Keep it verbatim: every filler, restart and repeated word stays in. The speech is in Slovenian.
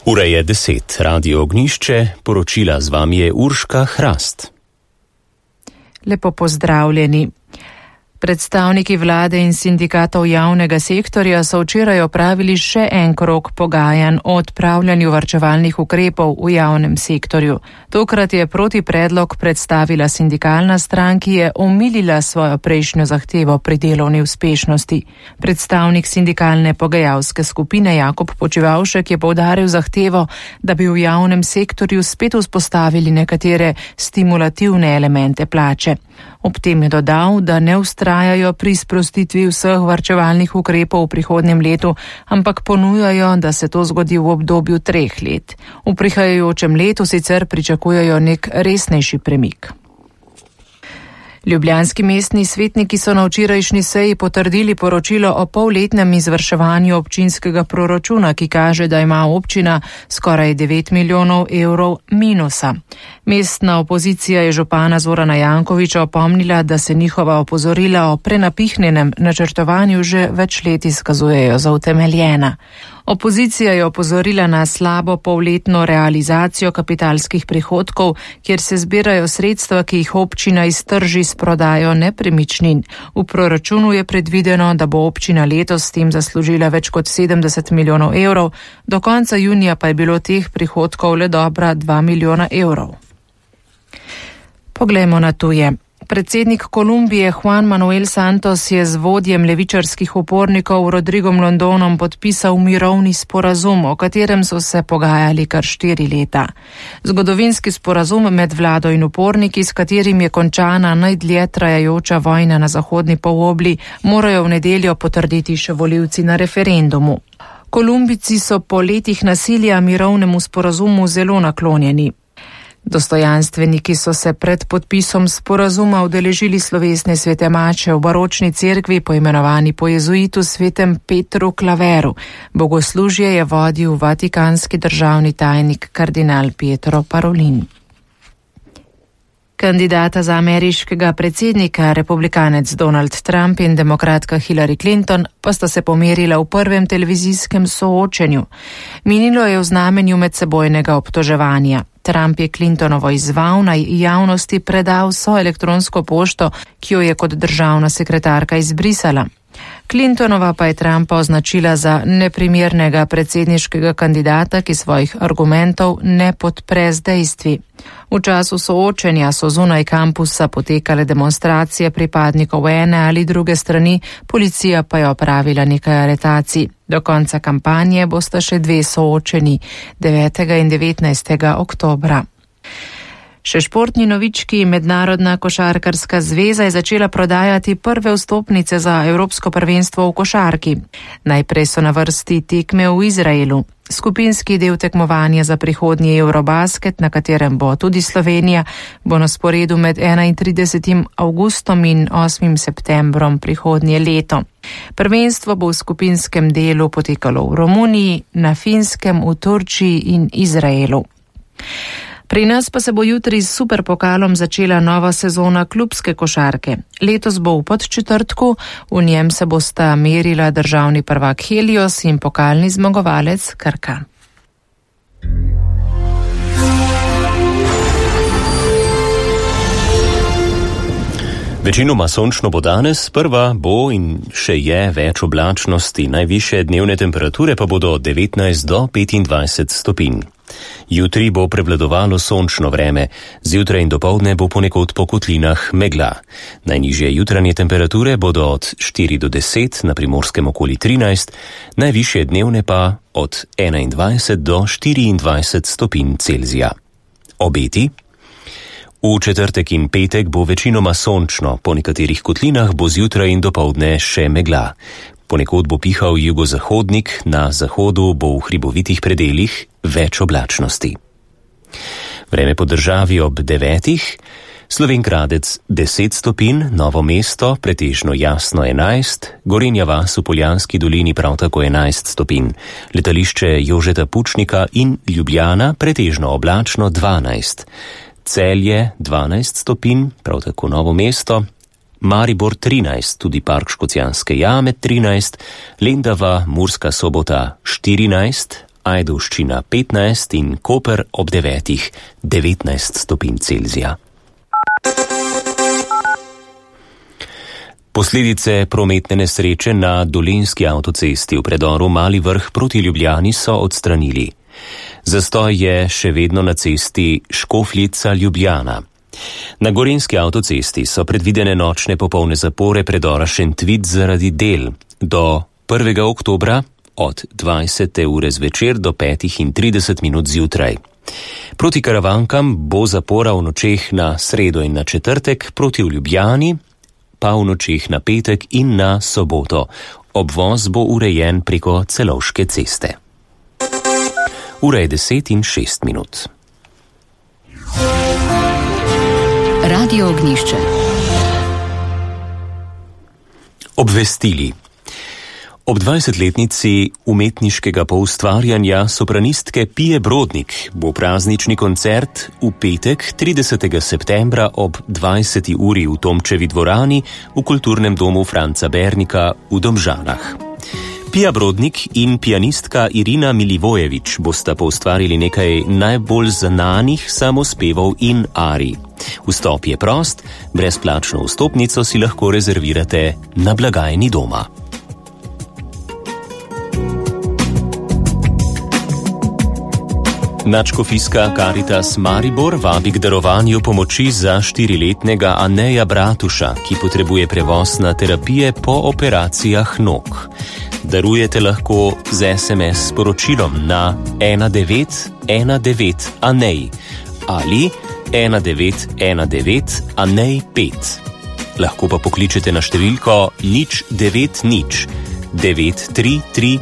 Ura je deset, Radio Ognišče, poročila z vami je Urška Hrast. Lepo pozdravljeni. Predstavniki vlade in sindikatov javnega sektorja so včeraj opravili še en krog pogajanj o odpravljanju varčevalnih ukrepov v javnem sektorju. Tokrat je proti predlog predstavila sindikalna stran, ki je omilila svojo prejšnjo zahtevo pri delovni uspešnosti. Predstavnik sindikalne pogajalske skupine Jakob Počivavšek je poudaril zahtevo, da bi v javnem sektorju spet vzpostavili nekatere stimulativne elemente plače. Ob tem je dodal, da ne vztrajajo pri sprostitvi vseh varčevalnih ukrepov v prihodnjem letu, ampak ponujajo, da se to zgodi v obdobju treh let. V prihajajočem letu sicer pričakujejo nek resnejši premik. Ljubljanski mestni svetniki so na včerajšnji seji potrdili poročilo o polletnem izvrševanju občinskega proračuna, ki kaže, da ima občina skoraj devet milijonov evrov minusa. Mestna opozicija je župana Zorana Jankovića opomnila, da se njihova opozorila o prenapihnenem načrtovanju že več let izkazujejo za utemeljena. Opozicija je opozorila na slabo polletno realizacijo kapitalskih prihodkov, kjer se zbirajo sredstva, ki jih občina iztrži s prodajo nepremičnin. V proračunu je predvideno, da bo občina letos s tem zaslužila več kot sedemdeset milijonov evrov, do konca junija pa je bilo teh prihodkov le dobra dva milijona evrov. Poglejmo na tuje. Predsednik Kolumbije Juan Manuel Santos je z vodjem levičarskih upornikov Rodrigom Londonom podpisal mirovni sporazum, o katerem so se pogajali kar štiri leta. Zgodovinski sporazum med vlado in uporniki, s katerim je končana najdlje trajajoča vojna na zahodni polobli, morajo v nedeljo potrditi še volivci na referendumu. Kolumbijci so po letih nasilja mirovnemu sporazumu zelo naklonjeni. Dostojanstveniki so se pred podpisom sporazuma udeležili slovesne svete mače v baročni cerkvi, poimenovani po jezuitu svetem Petru Klaveru. Bogoslužje je vodil vatikanski državni tajnik kardinal Pietro Parolin. Kandidata za ameriškega predsednika, republikanec Donald Trump in demokratka Hillary Clinton, pa sta se pomerila v prvem televizijskem soočenju. Minilo je v znamenju medsebojnega obtoževanja. Trump je Clintonovo izval, naj javnosti preda vso elektronsko pošto, ki jo je kot državna sekretarka izbrisala. Clintonova pa je Trumpa označila za neprimernega predsedniškega kandidata, ki svojih argumentov ne podpre z dejstvi. V času soočenja so zunaj kampusa potekale demonstracije pripadnikov ene ali druge strani, policija pa je opravila nekaj aretacij. Do konca kampanje bosta še dve soočeni, devetega in devetnajstega oktobra. Še športni novički. Mednarodna košarkarska zveza je začela prodajati prve vstopnice za Evropsko prvenstvo v košarki. Najprej so na vrsti tekme v Izraelu. Skupinski del tekmovanja za prihodnji Eurobasket, na katerem bo tudi Slovenija, bo na sporedu med enaintridesetim avgustom in osmim septembrom prihodnje leto. Prvenstvo bo v skupinskem delu potekalo v Romuniji, na Finskem, v Turčiji in Izraelu. Pri nas pa se bo jutri s superpokalom začela nova sezona klubske košarke. Letos bo v Podčetrtku, v njem se bosta merila državni prvak Helios in pokalni zmagovalec Krka. Večinoma sončno bo danes, sprva bo in še je več oblačnosti, najvišje dnevne temperature pa bodo od devetnajst do petindvajset stopinj. Jutri bo prevladovalo sončno vreme, zjutraj in dopoldne bo ponekod po kotlinah megla. Najnižje jutranje temperature bodo od štiri do deset, na Primorskem okoli trinajst, najvišje dnevne pa od enaindvajset do štiriindvajset stopinj Celzija. Obeti? V četrtek in petek bo večinoma sončno, po nekaterih kotlinah bo zjutraj in dopoldne še megla. Ponekod bo pihal jugozahodnik, na zahodu bo v hribovitih predeljih več oblačnosti. Vreme po državi ob devetih, Slovenj Gradec deset stopinj, Novo mesto pretežno jasno enajst, Gorenja vas v Poljanski dolini prav tako enajst stopinj, letališče Jožeta Pučnika in Ljubljana pretežno oblačno dvanajst, Celje dvanajst stopinj, prav tako Novo mesto, Maribor trinajst, tudi Park Škocjanske jame trinajst, Lendava, Murska Sobota štirinajst, Ajdovščina petnajst in Koper ob devetih devetnajst stopinj Celzija. Posledice prometne nesreče na Dolenjski avtocesti v predoru Mali Vrh proti Ljubljani so odstranili. Zastoj je še vedno na cesti Škofljica-Ljubljana. Na Gorenjski avtocesti so predvidene nočne popolne zapore predora Šentvid zaradi del do prvega oktobra od dvajsete ure zvečer do petih in trideset minut zjutraj. Proti Karavankam bo zapora v nočeh na sredo in na četrtek, proti v Ljubljani pa v nočeh na petek in na soboto. Obvoz bo urejen preko Celovške ceste. Ura je deset in šest minut. Radio Ognjišče. Obvestili. Ob dvajsetletnici umetniškega poustvarjanja sopranistke Pije Brodnik bo praznični koncert v petek tridesetega septembra ob dvajseti uri v Tomčevi dvorani v kulturnem domu Franca Bernika v Domžalah. Pija Brodnik in pianistka Irina Milivojevič bosta poustvarili nekaj najbolj znanih samospevov in arij. Vstop je prost, brezplačno vstopnico si lahko rezervirate na blagajni doma. Nadškofijska Karitas Maribor vabi k darovanju pomoči za štiriletnega Aneja Bratuša, ki potrebuje prevoz na terapije po operacijah nog. Darujete lahko z es em es sporočilom na ena devet ena devet Anej ali ena devet ena devet Anej pet. Lahko pa pokličete na številko nič devet nič devet tri tri